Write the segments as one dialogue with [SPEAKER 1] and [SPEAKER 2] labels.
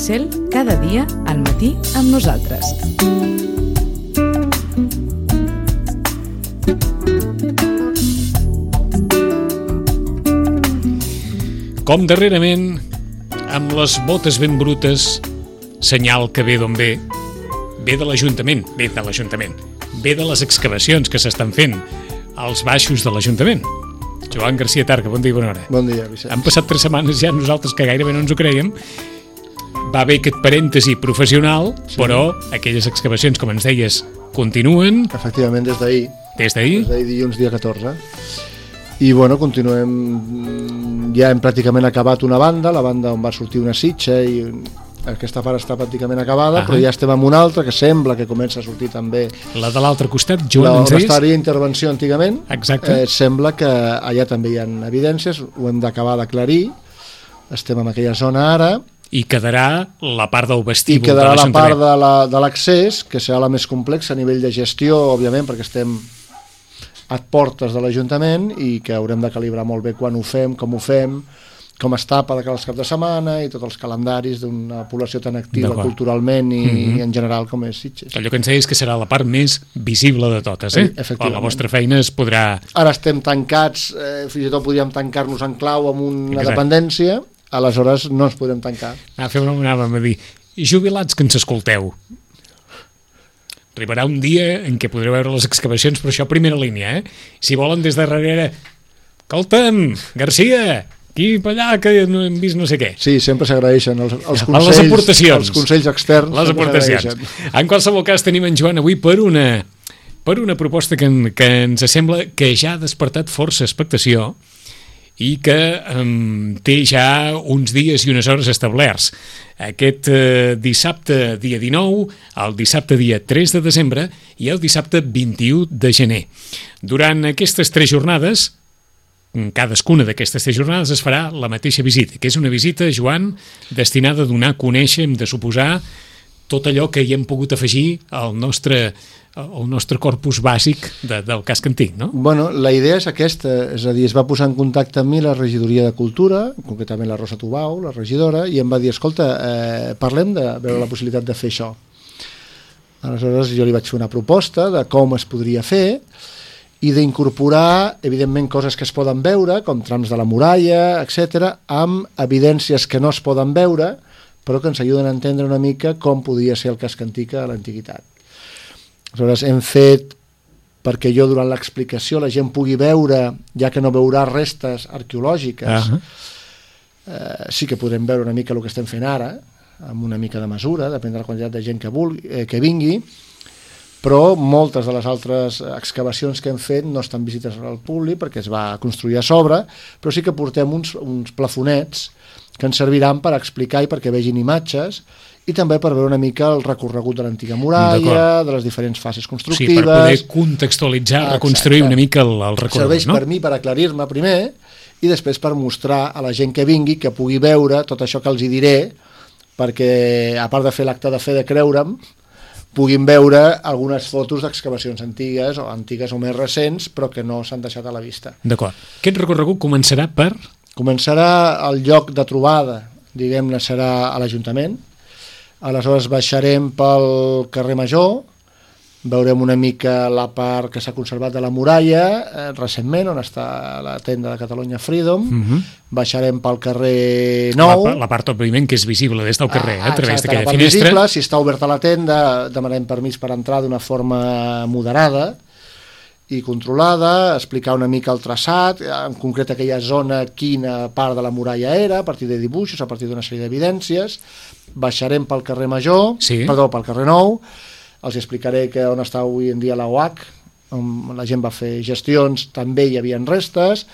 [SPEAKER 1] Cel, cada dia al matí amb nosaltres.
[SPEAKER 2] Com darrerament, amb les botes ben brutes, senyal que ve d'on ve, ve de l'Ajuntament, ve de les excavacions que s'estan fent als baixos de l'Ajuntament. Joan Garcia Targa, bon dia i bona hora.
[SPEAKER 3] Bon dia, Vicenç.
[SPEAKER 2] Han passat 3 setmanes ja, nosaltres que gairebé no ens ho creiem. Va haver aquest parèntesi professional, sí. Però aquelles excavacions, com ens deies, continuen.
[SPEAKER 3] Efectivament, des d'ahir.
[SPEAKER 2] Des d'ahir?
[SPEAKER 3] Des d'ahir, dilluns, dia 14. I, bueno, continuem... Ja hem pràcticament acabat una banda, la banda on va sortir una sitxa, i aquesta part està pràcticament acabada, però ja estem amb una altra que sembla que comença a sortir també.
[SPEAKER 2] La de l'altre costat, Joan, ens deies?
[SPEAKER 3] On estaria intervenció antigament.
[SPEAKER 2] Exacte.
[SPEAKER 3] Sembla que allà també hi ha evidències, ho hem d'acabar d'aclarir. Estem en aquella zona ara.
[SPEAKER 2] I quedarà la part del vestíbul
[SPEAKER 3] de l'Ajuntament. I quedarà la part de l'accés, que serà la més complexa a nivell de gestió, òbviament, perquè estem a portes de l'Ajuntament i que haurem de calibrar molt bé quan ho fem, com es tapa de cada cap de setmana i tots els calendaris d'una població tan activa culturalment i en general com és Sitges.
[SPEAKER 2] Allò que ens deies que serà la part més visible de totes,
[SPEAKER 3] Efectivament.
[SPEAKER 2] La vostra feina es podrà...
[SPEAKER 3] Ara estem tancats, fins i tot podríem tancar-nos en clau amb una dependència, aleshores no ens podem tancar.
[SPEAKER 2] Anàvem a dir, jubilats que ens escolteu, arribarà un dia en què podreu veure les excavacions, però això a primera línia, Si volen des de darrere, escolta'm, Garcia, aquí per allà que no hem vist no sé què.
[SPEAKER 3] Sí, sempre s'agraeixen els consells,
[SPEAKER 2] les aportacions,
[SPEAKER 3] els consells externs.
[SPEAKER 2] Les aportacions. En qualsevol cas tenim en Joan avui per una proposta que ens sembla que ja ha despertat força expectació i que té ja uns dies i unes hores establerts. Aquest dissabte dia 19, el dissabte dia 3 de desembre i el dissabte 21 de gener. Durant aquestes 3 jornades, cadascuna d'aquestes 3 jornades es farà la mateixa visita, que és una visita, Joan, destinada a donar a conèixer, hem de suposar, tot allò que hi hem pogut afegir al nostre corpus bàsic del casc antic, no?
[SPEAKER 3] Bueno, la idea és aquesta, és a dir, es va posar en contacte amb mi la regidoria de Cultura, concretament la Rosa Tubau, la regidora, i em va dir, escolta, parlem de veure la possibilitat de fer això. Aleshores jo li vaig fer una proposta de com es podria fer i d'incorporar, evidentment, coses que es poden veure, com trams de la muralla, etc., amb evidències que no es poden veure, però que ens ajuden a entendre una mica com podia ser el casc antic a l'antiguitat. Aleshores, hem fet perquè jo durant l'explicació la gent pugui veure, ja que no veurà restes arqueològiques, sí que podrem veure una mica el que estem fent ara, amb una mica de mesura, depèn de la quantitat de gent que vingui, però moltes de les altres excavacions que hem fet no estan visites al públic perquè es va construir a sobre, però sí que portem uns plafonets que ens serviran per explicar i perquè vegin imatges i també per veure una mica el recorregut de l'antiga muralla, de les diferents fases constructives.
[SPEAKER 2] Sí, per poder contextualitzar, reconstruir una mica el recorregut,
[SPEAKER 3] serveix per mi per aclarir-me primer i després per mostrar a la gent que vingui que pugui veure tot això que els hi diré, perquè a part de fer l'acte de fe de creure'm, puguin veure algunes fotos d'excavacions antigues o més recents, però que no s'han deixat a la vista.
[SPEAKER 2] D'acord. Aquest recorregut començarà per...
[SPEAKER 3] Començarà el lloc de trobada, diguem-ne, serà a l'Ajuntament. Aleshores baixarem pel carrer Major, veurem una mica la part que s'ha conservat de la muralla, recentment, on està la tenda de Catalunya Freedom. Baixarem pel carrer Nou.
[SPEAKER 2] La part, òbviament, que és visible des del carrer, a través d'aquella finestra.
[SPEAKER 3] Visible, si està oberta la tenda, demanem permís per entrar d'una forma moderada i controlada, explicar una mica el traçat, en concret aquella zona, quina part de la muralla era, a partir de dibuixos, a partir d'una sèrie d'evidències. Baixarem pel carrer Major, pel carrer Nou, els explicaré que on està avui en dia la UAC, on la gent va fer gestions, també hi havia restes.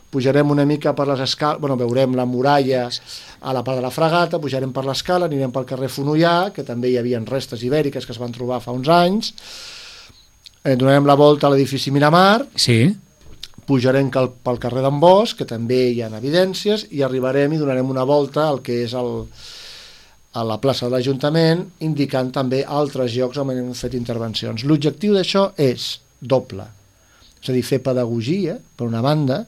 [SPEAKER 3] Pujarem una mica per les escales, veurem la muralla a la part de la Fragata, pujarem per l'escala, anirem pel carrer Fonollà, que també hi havia restes ibèriques que es van trobar fa uns anys. Donarem la volta a l'edifici Miramar, pujarem pel carrer d'en Bosch, que també hi ha evidències, i arribarem i donarem una volta al que és a la plaça de l'Ajuntament, indicant també altres llocs on hem fet intervencions. L'objectiu d'això és doble, és a dir, fer pedagogia, per una banda,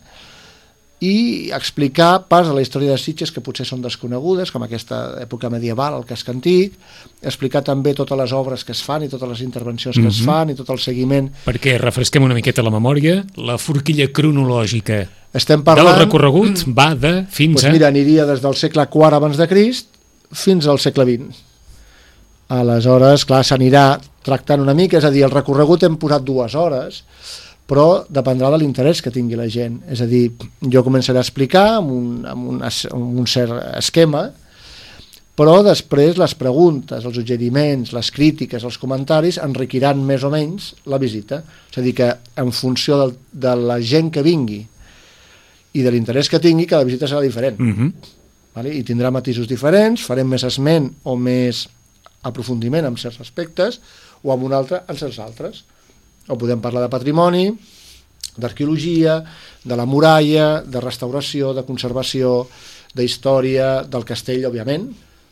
[SPEAKER 3] i explicar parts de la història de Sitges que potser són desconegudes, com aquesta època medieval, el casc antic, explicar també totes les obres que es fan i totes les intervencions que es fan i tot el seguiment.
[SPEAKER 2] Perquè refresquem una miqueta la memòria, la forquilla cronològica
[SPEAKER 3] Estem parlant...
[SPEAKER 2] del recorregut va de fins a...
[SPEAKER 3] Mira, aniria des del segle IV abans de Crist fins al segle XX. Aleshores, clar, s'anirà tractant una mica, és a dir, el recorregut hem posat 2 hores, però dependrà de l'interès que tingui la gent. És a dir, jo començaré a explicar amb un cert esquema, però després les preguntes, els suggeriments, les crítiques, els comentaris enriquiran més o menys la visita. És a dir, que en funció de la gent que vingui i de l'interès que tingui, cada visita serà diferent. Vale? I tindrà matisos diferents, farem més esment o més aprofundiment en certs aspectes o en un altre en certs altres. O podem parlar de patrimoni, d'arqueologia, de la muralla, de restauració, de conservació, d'història, del castell, òbviament,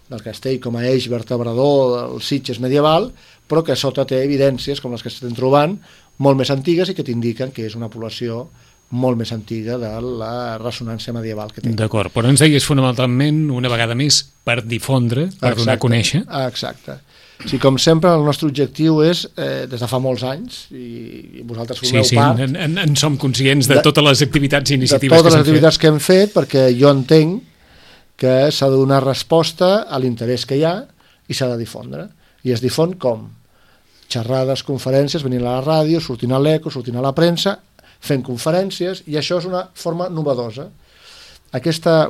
[SPEAKER 3] del castell com a eix vertebrador del Sitges medieval, però que sota té evidències, com les que estem trobant, molt més antigues i que t'indiquen que és una població molt més antiga de la ressonància medieval que té.
[SPEAKER 2] D'acord, però ens deies fonamentalment, una vegada més, per difondre, per donar a conèixer.
[SPEAKER 3] Exacte. Sí, com sempre, el nostre objectiu és, des de fa molts anys, i vosaltres formeu part...
[SPEAKER 2] Sí, en som conscients de totes les activitats i iniciatives
[SPEAKER 3] que s'han fet. De totes les activitats que hem fet, perquè jo entenc que s'ha de donar resposta a l'interès que hi ha i s'ha de difondre. I es difon com? Xerrades, conferències, venint a la ràdio, sortint a l'Eco, sortint a la premsa, fent conferències, i això és una forma novedosa.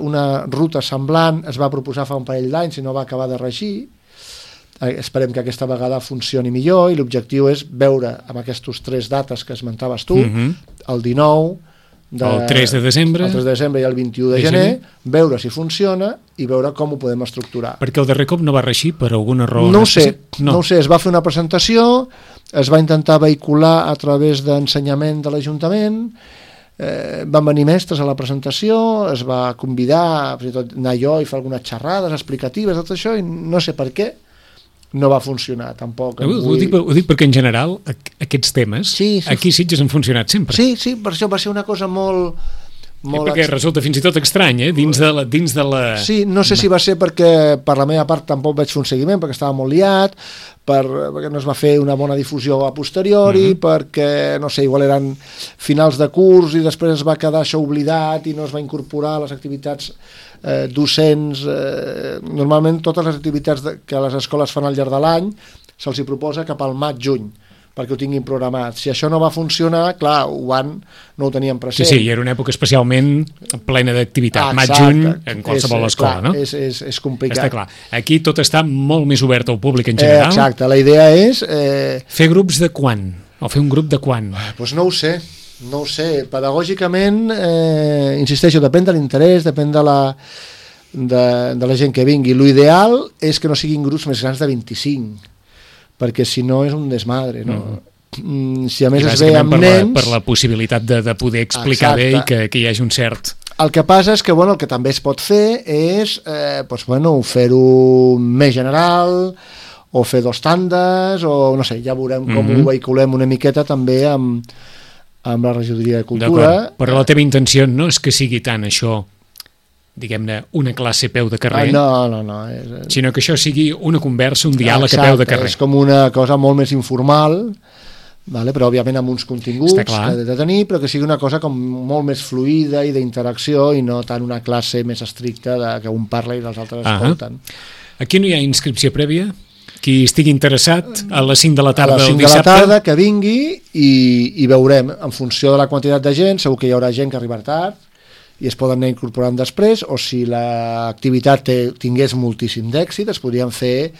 [SPEAKER 3] Una ruta semblant es va proposar fa un parell d'anys i no va acabar de regir. Esperem que aquesta vegada funcioni millor i l'objectiu és veure amb aquestes 3 dates que esmentaves tu, el 19,
[SPEAKER 2] el 3 de desembre,
[SPEAKER 3] i el 21 de gener, veure si funciona i veure com ho podem estructurar.
[SPEAKER 2] Perquè el darrer cop no va reixir per alguna raó?
[SPEAKER 3] No ho sé, es va fer una presentació, es va intentar vehicular a través d'ensenyament de l'Ajuntament, van venir mestres a la presentació, es va convidar fins i tot anar jo i fer algunes xerrades explicatives, tot això, i no sé per què no va funcionar tampoc.
[SPEAKER 2] Ho dic perquè en general aquests temes aquí a Sitges han funcionat sempre.
[SPEAKER 3] Sí, per això va ser una cosa molt
[SPEAKER 2] perquè resulta fins i tot estrany, dins de la...
[SPEAKER 3] Sí, no sé si va ser perquè per la meva part tampoc vaig fer un seguiment, perquè estava molt liat, perquè no es va fer una bona difusió a posteriori, perquè, no sé, igual eren finals de curs i després es va quedar això oblidat i no es va incorporar a les activitats docents. Normalment totes les activitats que les escoles fan al llarg de l'any se'ls hi proposa cap al maig-juny, perquè ho tinguin programat. Si això no va funcionar, clar, no ho teníem present.
[SPEAKER 2] Sí, i era una època especialment plena d'activitat. Maig-juny en qualsevol escola, no?
[SPEAKER 3] És complicat.
[SPEAKER 2] Està clar. Aquí tot està molt més obert al públic en general.
[SPEAKER 3] Exacte, la idea és...
[SPEAKER 2] Fer grups de quan? O fer un grup de quan?
[SPEAKER 3] Doncs no ho sé. Pedagògicament, insisteixo, depèn de l'interès, depèn de la gent que vingui. L'ideal és que no siguin grups més grans de 25, perquè si no és un desmadre, no? Si a més es ve amb nens...
[SPEAKER 2] Per la possibilitat de poder explicar bé i que hi hagi un cert...
[SPEAKER 3] El que passa és que, el que també es pot fer és fer-ho més general, o fer 2 tandes, o no sé, ja veurem com ho vehiculem una miqueta també amb la regidoria de Cultura.
[SPEAKER 2] Però la teva intenció no és que sigui tant això, diguem-ne, una classe a peu de carrer,
[SPEAKER 3] no.
[SPEAKER 2] Sinó que això sigui una conversa, un diàleg a peu de carrer.
[SPEAKER 3] És com una cosa molt més informal, però òbviament amb uns continguts que ha de tenir, però que sigui una cosa com molt més fluida i d'interacció i no tant una classe més estricta que un parla i els altres escolten.
[SPEAKER 2] Aquí no hi ha inscripció prèvia? Qui estigui interessat a les 5 de la tarda del dissabte...
[SPEAKER 3] A les 5 de la tarda que vingui i veurem, en funció de la quantitat de gent, segur que hi haurà gent que arribarà tard, i es poden anar incorporant després, o si l'activitat tingués moltíssim d'èxit, es podrien fer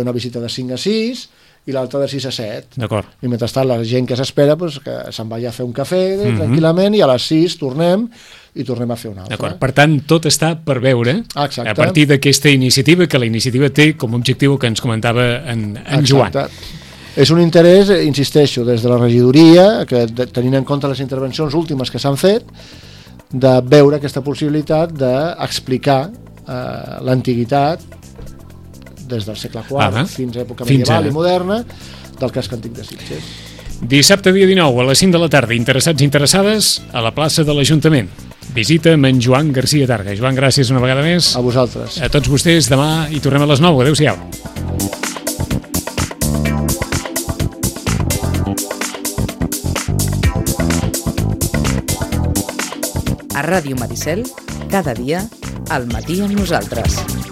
[SPEAKER 3] una visita de 5 a 6 i l'altra de 6 a 7.
[SPEAKER 2] D'acord.
[SPEAKER 3] I mentrestant la gent que s'espera que se'n vagi a fer un cafè tranquil·lament i a les 6 tornem a fer una altra.
[SPEAKER 2] D'acord. Per tant, tot està per veure a partir d'aquesta iniciativa, que la iniciativa té com a objectiu que ens comentava en Joan.
[SPEAKER 3] És un interès, insisteixo, des de la regidoria, que tenint en compte les intervencions últimes que s'han fet, de veure aquesta possibilitat d'explicar l'antiguitat des del segle IV fins a època medieval i moderna del casc antic de Sitges.
[SPEAKER 2] Dissabte dia 19 a les 5 de la tarda, interessats i interessades a la plaça de l'Ajuntament. visita amb en Joan Garcia Targa. Joan, gràcies una vegada més.
[SPEAKER 3] A vosaltres.
[SPEAKER 2] A tots vostès, demà hi tornem a les 9. Adéu-siau.
[SPEAKER 1] A Ràdio Maricel, cada dia, al matí amb nosaltres.